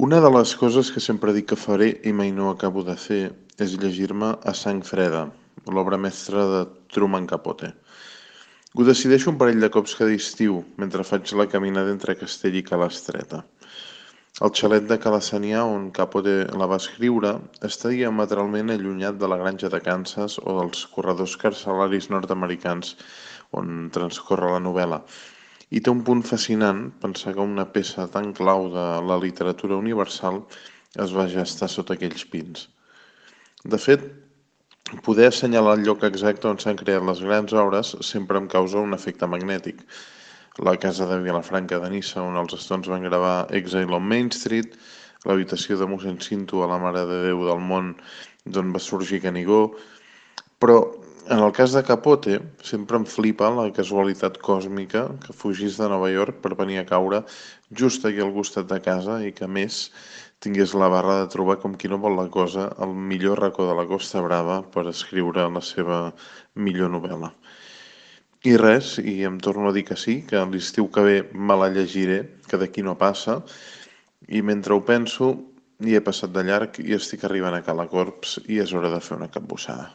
Una de les coses que sempre dic que faré i mai no acabo de fer és llegir-me A sang freda, l'obra mestra de Truman Capote. Ho decideixo un parell de cops cada estiu, mentre faig la caminada entre Castell i Cala-Estreta. El xalet de Cala Sanià, on Capote la va escriure, està diametralment allunyat de la granja de Kansas o dels corredors carcelaris nord-americans on transcorre la novel·la. I té un punt fascinant pensar que una peça tan clau de la literatura universal es va gestar sota aquells pins. De fet, poder assenyalar el lloc exacte on s'han creat les grans obres sempre em causa un efecte magnètic. La casa de Vilafranca de Niça, on els Stones van gravar Exile on Main Street, l'habitació de mossèn Cinto a la Mare de Déu del Món, d'on va sorgir Canigó, però en el cas de Capote sempre em flipa la casualitat còsmica que fugís de Nova York per venir a caure just aquí al costat de casa i que, a més, tingués la barra de trobar com qui no vol la cosa el millor racó de la Costa Brava per escriure la seva millor novel·la. I res, i em torno a dir que sí, que l'estiu que ve me la llegiré, que d'aquí no passa, i mentre ho penso, hi he passat de llarg i estic arribant a Cala Corps i és hora de fer una capbussada.